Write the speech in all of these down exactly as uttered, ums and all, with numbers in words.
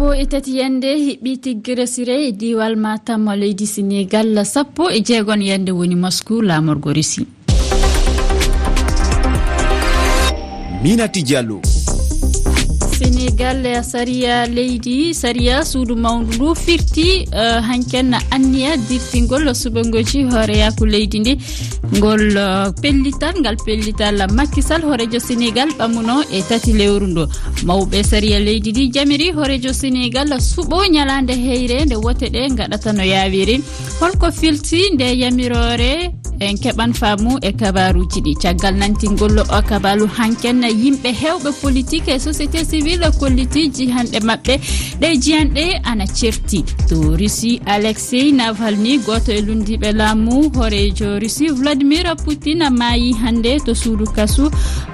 Sappo e tati yande hiɓɓi tiggere sire e diiwal Matam leydi Senegal, sappo e jeegon yande woni Moscou laamorgo Russie. Minati Diallo. Senegal, sariya leydi, sariya suudu mawndu ndu firti, eh, hanken anniya dirtingol suɓangoji hooreyaku leydi ndi. Ngol, eh, pellital, ngal pellital Macky Sall, hoorejo Senegal, ɓamuno e tati lewru ndo. Mawɓe sariya leydi ndi jamiri hoorejo Senegal suɓo ñalaande heyre nde wote ɗe ngaɗata no yaawiri. Holko filti nde yamiroore? En keɓan faamu e kabaruuji ɗi. Caggal nantingol o kabaru hanken, yimɓe heewɓe politik e société civile kolliti jihanɗe maɓɓe. Ɗe jihanɗe ana certi. To Russie, Alexei Navalny, gooto e lunndiiɓe laamu hooreejo Russie, Vladimir Putin, maayi hannde to suudu kasu,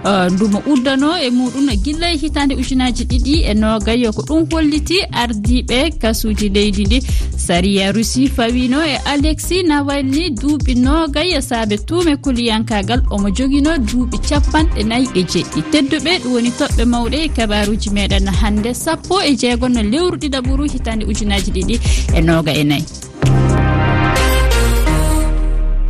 eh, ndu mo uddano e muɗum gilla e hitaande ujunaaji ɗiɗi e noogay. Ko ɗum holliti ardiiɓe kasuuji leydi ndi. Sariya Russie fawino e Alexei Navalny duuɓi noogay e saabe tuume kuliyankaagal. Omo jogino duuɓi capanɗe nayi e jeɗɗi. Tedduɓe, ɗum woni toɓɓe mawɗe e kabaruuji meɗen hannde, sappo e jeegon lewru ɗiɗaɓuru hitaande ujunaaji ɗiɗi e nooga e nayi.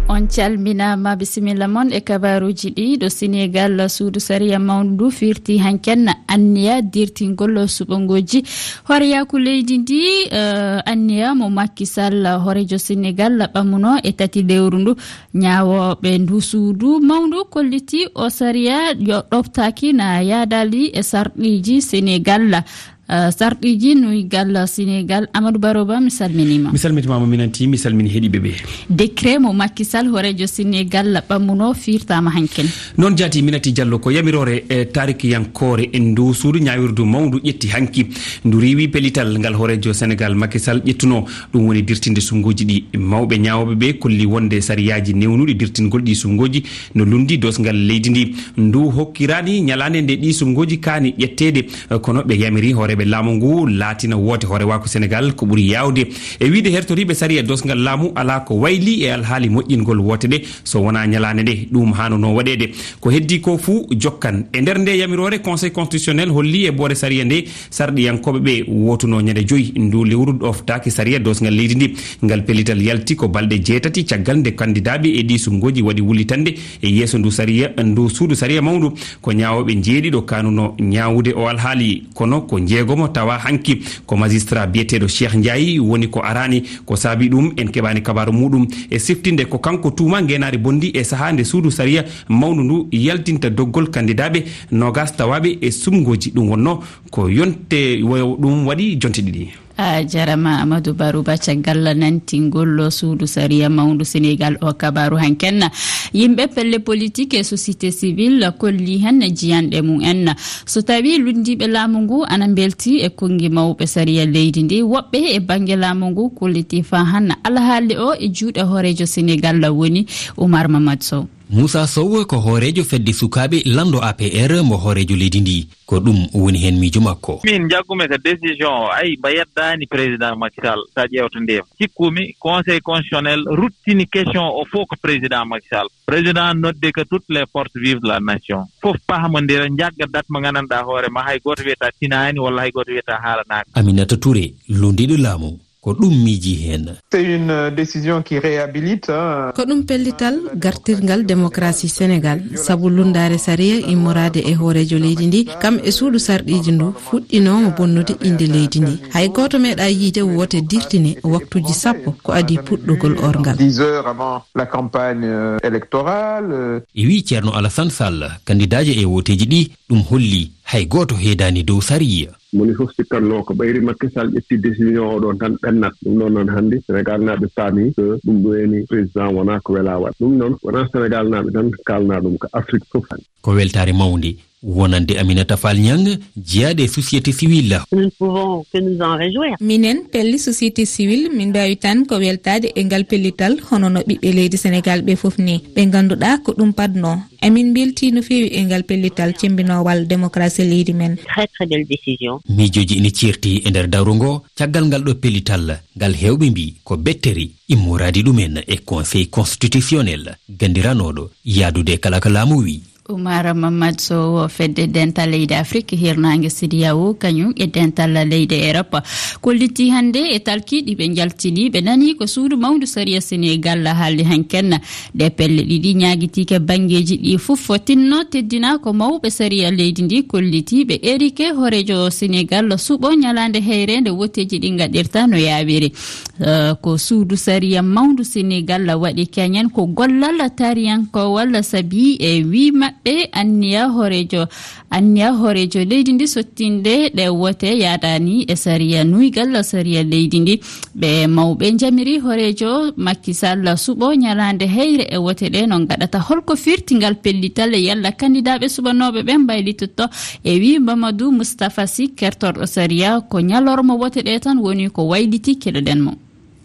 On calminaama, bisimilla mon e kabaruuji ɗi. Ɗo Senegal, suudu sariya mawndu ndu firti hanken anniya dirtingol suɓangoji hooreyaku leydi ndi, eh, anniya mo Macky Sall, hoorejo Senegal, ɓamuno e tati lewru ndu. Ñaawooɓe ndu suudu mawndu kolliti o sariya yo ɗoftaaki na yaadali e sarɗiiji Senegal. Eh, sarɗiiji nuygal Senegal. Amadou Baroba, mi salminiima. Mi salmitimaama, minanti, mi salmini heɗiiɓe ɓe. Décret mo Macky Sall, hoorejo Senegal, ɓammuno firtaama hanken. Noon jaati, minati Diallo, ko yamiroore, eh, taarikiyankoore e ndu suudu ñaawirdu mawndu ƴetti hanki. Ndu riiwi pellital ngal hoorejo Senegal Macky Sall ƴettuno. Ɗum woni dirtinde suɓngooji ɗi. Mawɓe ñaawooɓe ɓe kolli wonde sariyaaji newnuɗi dirtingol ɗi suɓngooji no lunndi doosgal leydi ndi. Ndu hokkiraani ñalaande nde ɗi suɓngooji kaani ƴetteede, kono ɓe yamiri hooreeɓe laamu ngu laatina woote hoorewaaku Senegal ko ɓuri yaawde. E wiyde hertoriiɓe sariya doosgal laamu, alaa ko wayli e alhaali moƴƴingol woote ɗe so wonaa ñalaande nde ɗum haanunoo waɗeede. Ko heddii ko fuu jokkan. E nder nde yamiroore, Conseil constitutionnel holli e boore sariya nde sarɗiyankooɓe ɓe wootuno ñande joyi ndu lewru ɗoftaaki sariya doosgal leydi ndi. Ngal pellital yalti ko balɗe jeetati caggal nde kandidaaɓe e ɗi suɓngooji waɗi wullitande e yeeso ndu sariya, ndu suudu sariya mawndu. Ko ñaawooɓe njeeɗiɗo kaanuno ñaawude o alhaali, kono ko njeegomo tawa hanki. Ko magistrat biyeteeɗo Cheikh Ndiaye woni ko araani. Ko saabi ɗum, en keɓaani kabaaru muɗum. E siftinde, ko kanko tuuma ngeenaari bonndi e sahaa nde suudu sariya mawndu ndu yaltinta doggol kandidaaɓe noogas tawaaɓe e suɓngooji. Ɗum wonno ko yonte wo-, ɗum waɗi jonte ɗiɗi. A jarama, Amadou Barouba, caggal nantingol suudu sariya mawndu Senegal o kabaaru hanken. Yimɓe pelle politik e société civile kolli han jiyanɗe mum en. So tawi lunndiiɓe laamu ngu ana mbelti e konngi mawɓe sariya leydi ndi, woɓɓe e bannge laamu ngu kolliti faa han alhaali o e juuɗe hooreejo Senegal woni Oumar Mamadou Sow. Moussa Sow ko hooreejo fedde sukaaɓe lanndo A P R mo hooreejo leydi ndi. Ko ɗum woni heen miijo makko. Min njaggumi ko décision o, ay, mba yeddaani président Macky Sall, so a ƴeewta ndema. Cikkumi Conseil constitutionnel ruttini question o fof ko président Macky Sall. Président nodde que toutes les forces vives de la nation. Fof pahmondira, njagga date mo nganndanɗaa hoore ma, hay gooto wiyata tinaani walla hay gooto wiyata haalanaaka. Aminata Touré, lunndiiɗo laamu, ko ɗum miiji heen. C'est une, euh, décision qui réhabilite, hein. Ko ɗum pellital gartirgal démocratie Sénégal, sabu lunndaare sariya immoraade e hooreejo leydi ndi, kam e suudu sarɗiiji ndu, fuɗɗinooma bonnude innde leydi ndi. Hay gooto meeɗaa yiyde woote dirtine waktuuji sappo ko adii puɗɗugol orngal. Dix heures avant la campagne, euh, électorale, euh. E wii Ceerno Alassane Sall, kandidaajo e wooteeji ɗi, ɗum holli hay gooto heedaani dow sariya. Moni fof sikkatnoo ko ɓayri Macky Sall ƴetti décision o ɗon tan ɓennat. Ɗum ɗon noon hannde Senegalnaaɓe paami ko ɗum ɗo woni président wonaa ko welaa waɗ. Ɗum noon wonaa Senegalnaaɓe tan kaalnaa ɗum, ko Afrique fof. Ko weltaare mawnde wonande Aminata Fall Niang, jeyaaɗo e société civile. Nous ne pouvons que nous en réjouir. Minen pelli société civile, min mbaawi tan ko weltaade e ngal pellital, hono no ɓiɓɓe leydi Senegal ɓe fof ni. Ɓe ngannduɗaa ko ɗum paɗnoo. Emin mbeltii no feewi e ngal pellital cemmbinoowal démocratie leydi men. Très, très belle décision. Miijooji ina ceerti e nder dawro ngo, caggal ngal ɗo pellital, ngal heewɓe mbii ko bettere immoraade ɗumen e Conseil constitutionnel, ganndiranooɗo yahdude e kala ko laamu wii. Umar Mamad Sow, fedde dental leydi Afrik, hirnaange C E D E A O, kañum e dental leyɗe Erop, kolliti hannde e talki ɗi ɓe njaltini. Ɓe nani ko suudu mawndu sariya Senegal haaldi hanken. Ɗe pelle ɗiɗi ñaagitiike banngeeji ɗi fof fotinno teddina ko mawɓe sariya leydi ndi kolliti. Ɓe erike hooreejo Senegal suɓo ñalaande heyre nde woteeji ɗi ngaɗirta no yaawiri. Eh, ko suudu sariya mawndu Senegal waɗi keñen ko gollal tariyankowal, sabi e wi maɓɓe anniya hooreejo, anniya hooreejo leydi ndi sottinde ɗe wote yaadani e sariya nuygal sariya leydi ndi. Ɓe mawɓe njamiri hooreejo Macky Sall suɓo ñalaande heyre e wote ɗe no ngaɗata. Holko firti ngal pellital e yalla kandidaaɓe suɓanooɓe ɓe mbaylitotto? E wi Mamadou Moustapha Sy, kertorɗo sariya, ko ñalorma wote ɗe tan woni ko wayliti, keɗoɗen mo.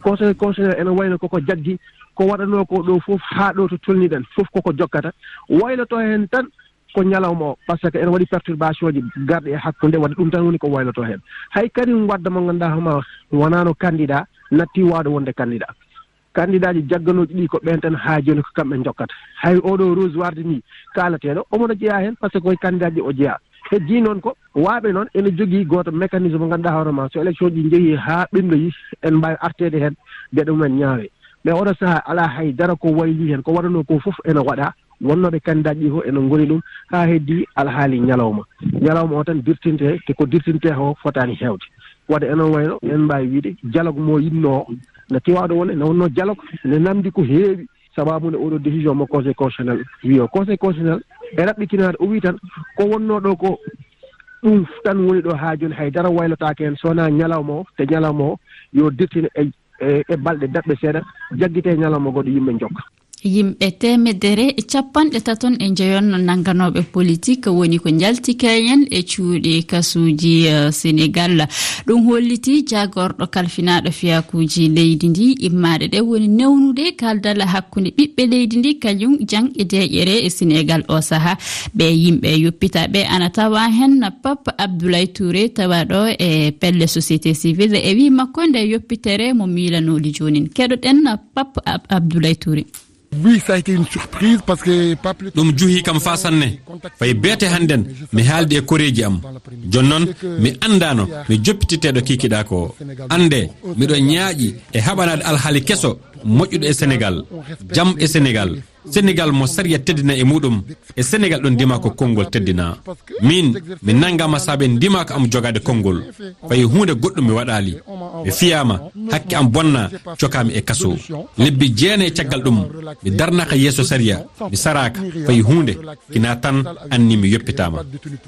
Conseil constitutionnel ene wayno koko jaggi ko waɗanoo ko ɗo fof haa ɗo to tolniɗen fof koko jokkata, wayloto heen tan ko ñalawma o, par ce que ene waɗi perturbation ji garɗi e hakkunde, waɗi ɗum tan woni ko wayloto heen. Hay Karim Wade mo ngannduɗaa hooma wonaano candidat, natti waawde wonde candidat. Candidat ji jagganooji ɗi ko ɓeen tan haa jooni ko kamɓe njokkata. Hay oɗo Rose Wardini kaalateeɗo omo no jeyaa heen par ce que koye candidat ji o jeyaa. Heddii noon ko waaɓe noon ene jogii gooto mécanisme mo ngannduɗaa hoore ma so élection ji njehii haa ɓenndoyi en mbaawi arteede heen geɗe mumen ñaawe. Mais oɗo sahaa alaa hay dara ko waylii heen, ko waɗanoo ko fof ene waɗa. Wonnooɓe candidat ji fof ene ngoni ɗum haa heddii alhaali ñalawma. Ñalawma o tan dirtinte te ko dirtinte o fotaani heewde. Waɗde ene wayno en mbaawi wiide dialogue mo yinnoo o na tiwaaɗo wonde ne wonnoo dialogue ne namdi ko heewi. Sababu nde oɗo décision mo conseil constitutionnel wi o conseil constitutionnel e raɓɓitinaade o wi tan ko wonnoo ɗo ko ɗum tan woni ɗo haa jooni hay dara waylotaake heen so wonaa ñalawma o te ñalawma o yo dirtine e e e balɗe daɓɓe seeɗa jaggite ñalawma goɗɗo yimɓe njokka. Yimɓe teemedere e capanɗe taton e njoyon nannganooɓe politik woni ko njalti keñen e cuuɗi kasuuji, eh, Senegal. Ɗum holliti jaagorɗo kalfinaaɗo fiyakuuji leydi ndi. Immaade ɗe woni newnude kaaldal hakkunde ɓiɓɓe leydi ndi kañum jang e deeƴere e Senegal o saha. Ɓe yimɓe yoppitaaɓe ana tawa heen Pape Abdoulaye Touré tawaaɗo e pelle société civile e wi makko nde yoppitere mo miilanooɗi joonin. Keɗoɗen Pape Ab- Abdoulaye Touré. Oui, ça a été une surprise parce que pas plus. Ɗum juhi kam faa sanne. Fay beete hannden mi haaldi e koreeji am. Jooni noon mi anndaano mi joppititeeɗo kiikiɗaa ko. Annde miɗo ñaaƴi e haɓanaade alhaali keso moƴƴuɗo e Senegal, jam e Senegal. Senegal mo sariya teddina e muɗum. E Senegal ɗon ndima ko konngol teddina. Min mi nanngaama saabe ndima ko am jogaade konngol. Fay huunde goɗɗum mi waɗaali. Mi fiyaama, hakke am bonna, cokaami e kaso. Lebbi jeenayi caggal ɗum, mi darnaaka yeeso sariya, mi saraaka, fay huunde, kina tan anni mi yoppitaama.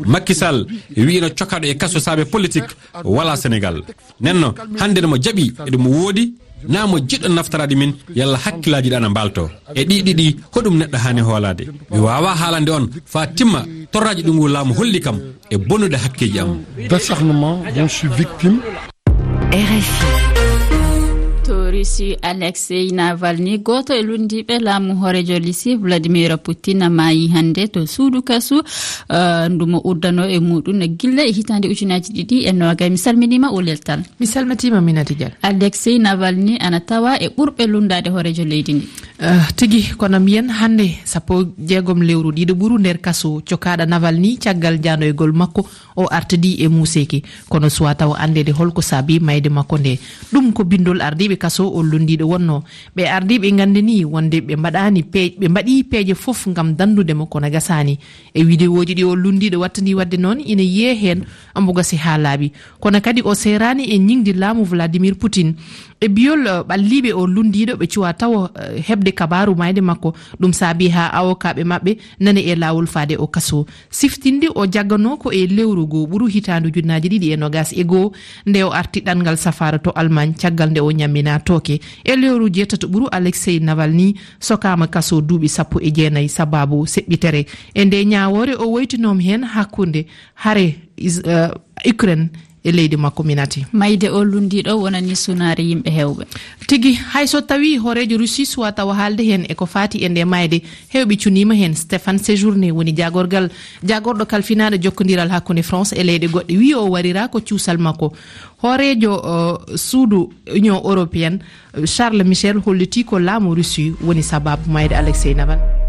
Macky Sall wi'ino cokaaɗo e kaso saabe politik walaa Senegal. Nenno, hannde no mo jaɓi, eɗum woodi, na mo jiɗɗo naftaraade min, yalla hakkillaaji ɗi ana mbaalto. E ɗi ɗiɗi, hoɗum neɗɗo haani hoolaade? Mi waawaa haalande on faa timma torraaji ɗi ngu laamu holli kam e bonnude hakkeeji am. D'acharnement dont je suis victime. R F I. To Russie, Alexei Navalny, gooto e lunndiiɓe laamu hooreejo Russie Vladimir Putin, maayi hannde to suudu kasu, eh, ndu mo uddano e muɗum gilla e hitaande ujunaaji ɗiɗi e noogay. Mi salminiima o leltal. Mi salmitiima Minati Dial. Alexei Navalny ana tawa e ɓurɓe lunndaade hooreejo leydi ndi. Eh, tigi, kono mbiyen hannde sappo e jeegom lewru ɗiɗo ɓuru nder kaso cokaaɗo Navalny caggal janoygol makko o artidi e muuseeki. Kono suwa tawa anndeede holko saabi mayde makko nde. Ɗum ko binndol ardiiɓe kaso o lunndiiɗo wonno. Ɓe ardiiɓe nganndini wonde ɓe mbaɗaani pe-, ɓe mbaɗi peeje fof ngam danndude mo kono gasaani. E widewooji ɗi o lunndiiɗo wattandi waɗde noon ina yiyee heen omo gasi haa laaɓi. Kono kadi o seeraani e ñiŋdi laamu Vladimir Putin. E biyol, eh, ɓalliiɓe o lunndiiɗo ɓe cuwa tawo, eh, heɓde kabaaru mayde makko. Ɗum saabi haa awokaaɓe maɓɓe nani e laawol faade o kaso. Siftinde o jagganoo ko e lewru goo ɓuru hitaande ujunnaaji ɗiɗi e nogas e goo nde o arti ɗanngal safaara to Allemagne caggal nde o ñamminaa tooke. E lewru jeetato ɓuru Alexei Navalny sokaama kaso duuɓi sappo e jeenayi sabaabu seɓɓitere. E nde ñaawoore o woytinoom heen hakkunde hare Is-, eh, Ukraine e leydi makko Minati. Mayde o lunndiiɗo wonani sunaare yimɓe heewɓe. Tigi, hay so tawii hooreejo Russie suwa tawa haalde heen e ko faati e nde mayde, heewɓe cuniima heen. Stéphane Séjourné woni jaagorgal, jaagorɗo kalfinaaɗo jokkondiral hakkunde France e leyɗe goɗɗe, wiyi o warira ko cuusal makko. Hooreejo, eh, suudu Union Européenne, Charles Michel hollitii ko laamu Russie woni sabaabu mayde Alexei Navalny.